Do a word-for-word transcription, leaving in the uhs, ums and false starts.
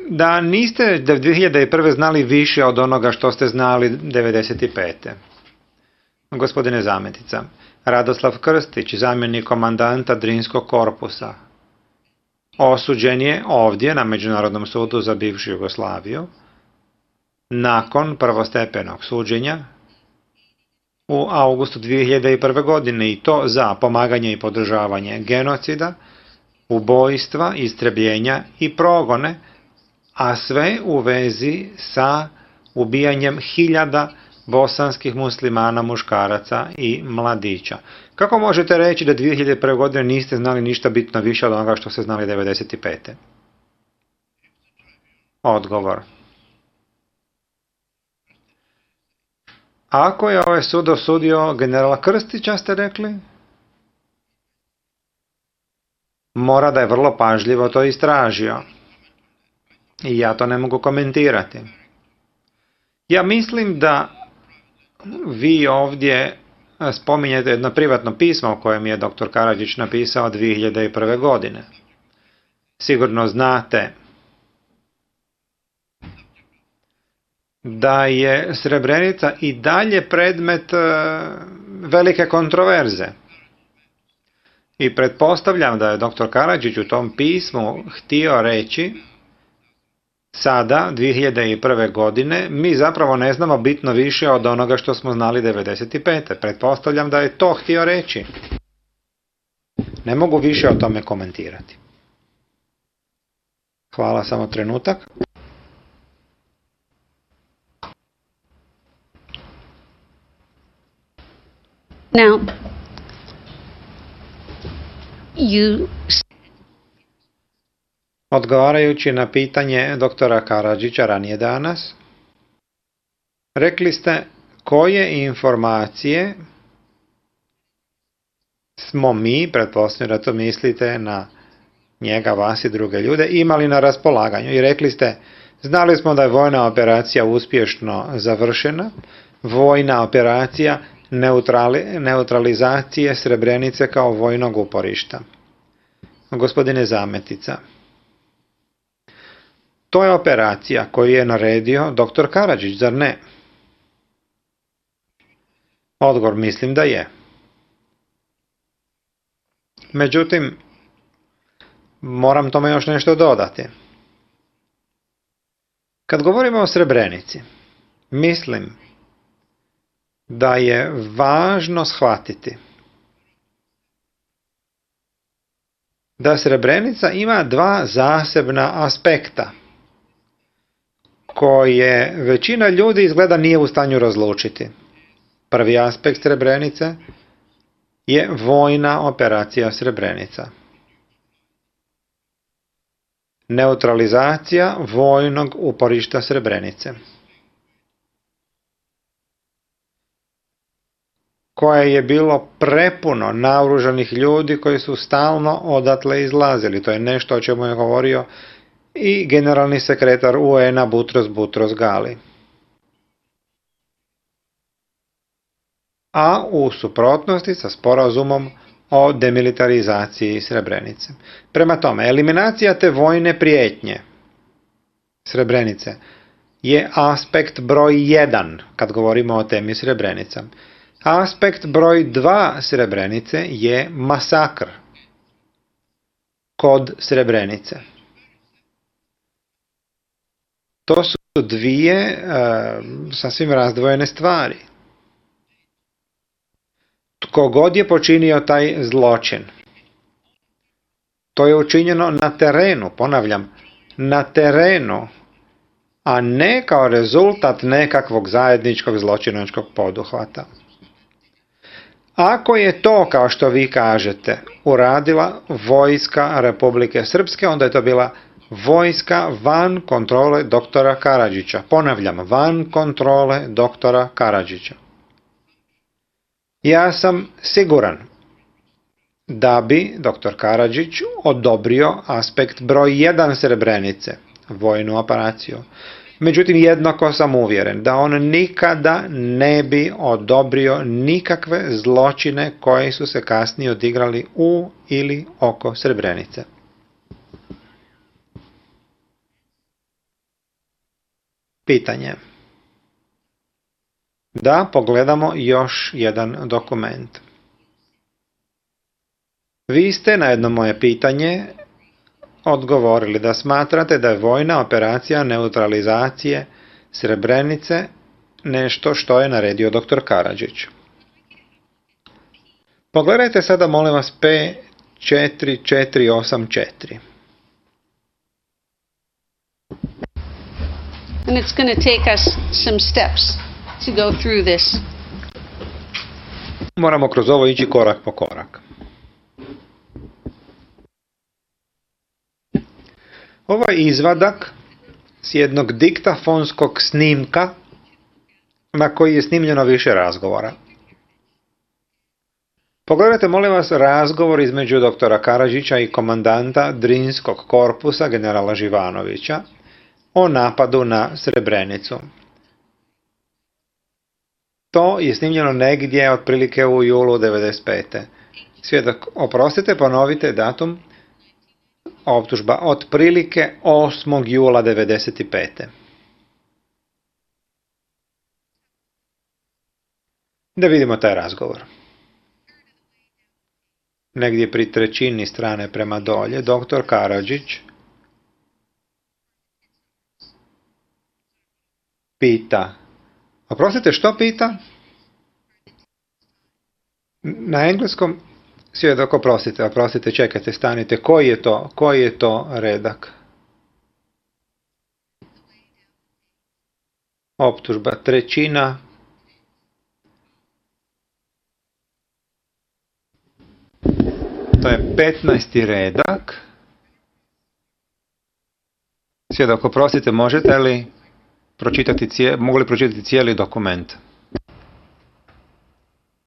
da niste dvije hiljade prve. znali više od onoga što ste znali devedeset pete. Gospodine Zametica, Radoslav Krstić, zamjenik komandanta Drinskog korpusa, osuđen je ovdje na Međunarodnom sudu za bivšu Jugoslaviju nakon prvostepenog suđenja u augustu dvije hiljade prve. godine i to za pomaganje i podržavanje genocida, ubojstva, istrebljenja i progone, a sve u vezi sa ubijanjem hiljada bosanskih muslimana, muškaraca i mladića. Kako možete reći da dvije hiljade prve. godine niste znali ništa bitno više od onoga što ste znali devedeset pete. Odgovor. Ako je ovaj sud osudio generala Krstića, ste rekli, mora da je vrlo pažljivo to istražio. I ja to ne mogu komentirati. Ja mislim da vi ovdje spominjete jedno privatno pismo u kojem je doktor Karadžić napisao dvije hiljade prve. godine. Sigurno znate da je Srebrenica i dalje predmet velike kontroverze. I pretpostavljam da je doktor Karadžić u tom pismu htio reći sada, dvije hiljade prve. godine, mi zapravo ne znamo bitno više od onoga što smo znali devedeset pete. Pretpostavljam da je to htio reći. Ne mogu više o tome komentirati. Hvala, samo trenutak. Now, you... Odgovarajući na pitanje doktora Karadžića ranije danas, rekli ste koje informacije smo mi, pretpostavljam da to mislite na njega, vas i druge ljude, imali na raspolaganju. I rekli ste, znali smo da je vojna operacija uspješno završena, vojna operacija neutrali, neutralizacije Srebrenice kao vojnog uporišta. Gospodine Zametica, to je operacija koju je naredio doktor Karadžić, zar ne? Odgovor, mislim da je. Međutim, moram tome još nešto dodati. Kad govorimo o Srebrenici, mislim da je važno shvatiti da Srebrenica ima dva zasebna aspekta koje većina ljudi izgleda nije u stanju razlučiti. Prvi aspekt Srebrenice je vojna operacija Srebrenica. Neutralizacija vojnog uporišta Srebrenice, koje je bilo prepuno naoružanih ljudi koji su stalno odatle izlazili. To je nešto o čemu je govorio i generalni sekretar U N-a Butros Butros Gali. A u suprotnosti sa sporazumom o demilitarizaciji Srebrenice. Prema tome, eliminacija te vojne prijetnje Srebrenice je aspekt broj jedan kad govorimo o temi Srebrenica. Aspekt broj dva Srebrenice je masakr kod Srebrenice. To su dvije e, sasvim razdvojene stvari. Tko god je počinio taj zločin, to je učinjeno na terenu, ponavljam, na terenu, a ne kao rezultat nekakvog zajedničkog zločinačkog poduhvata. Ako je to, kao što vi kažete, uradila vojska Republike Srpske, onda je to bila vojska van kontrole doktora Karadžića. Ponavljam, van kontrole doktora Karadžića. Ja sam siguran da bi doktor Karadžić odobrio aspekt broj jedan Srebrenice, vojnu operaciju. Međutim, jednako sam uvjeren da on nikada ne bi odobrio nikakve zločine koji su se kasnije odigrali u ili oko Srebrenice. Pitanje. Da pogledamo još jedan dokument. Vi ste na jedno moje pitanje odgovorili da smatrate da je vojna operacija neutralizacije Srebrenice nešto što je naredio doktor Karadžić. Pogledajte sada molim vas P četiri četiri osam četiri. and it's going to take us some steps to go through this. Moramo kroz ovo ići korak po korak. Ovo je izvadak s jednog diktafonskog snimka na koji je snimljeno više razgovora. Pogledajte molim vas razgovor između doktora Karadžića i komandanta Drinskog korpusa generala Živanovića o napadu na Srebrenicu. To je snimljeno negdje otprilike u julu devedeset pete. Svjedok, oprostite, ponovite datum. Optužba otprilike osmog jula devedeset pete. Da vidimo taj razgovor. Negdje pri trećini strane prema dolje, doktor Karadžić pita. Oprostite, što pita? Na engleskom svjedok, oprostite, oprostite, čekajte, stanite. Koji je to, koji je to redak? Optužba trećina. To je petnaesti redak. Svjedok, oprostite, možete li pročitati cijeli, mogu li pročitati cijeli dokument?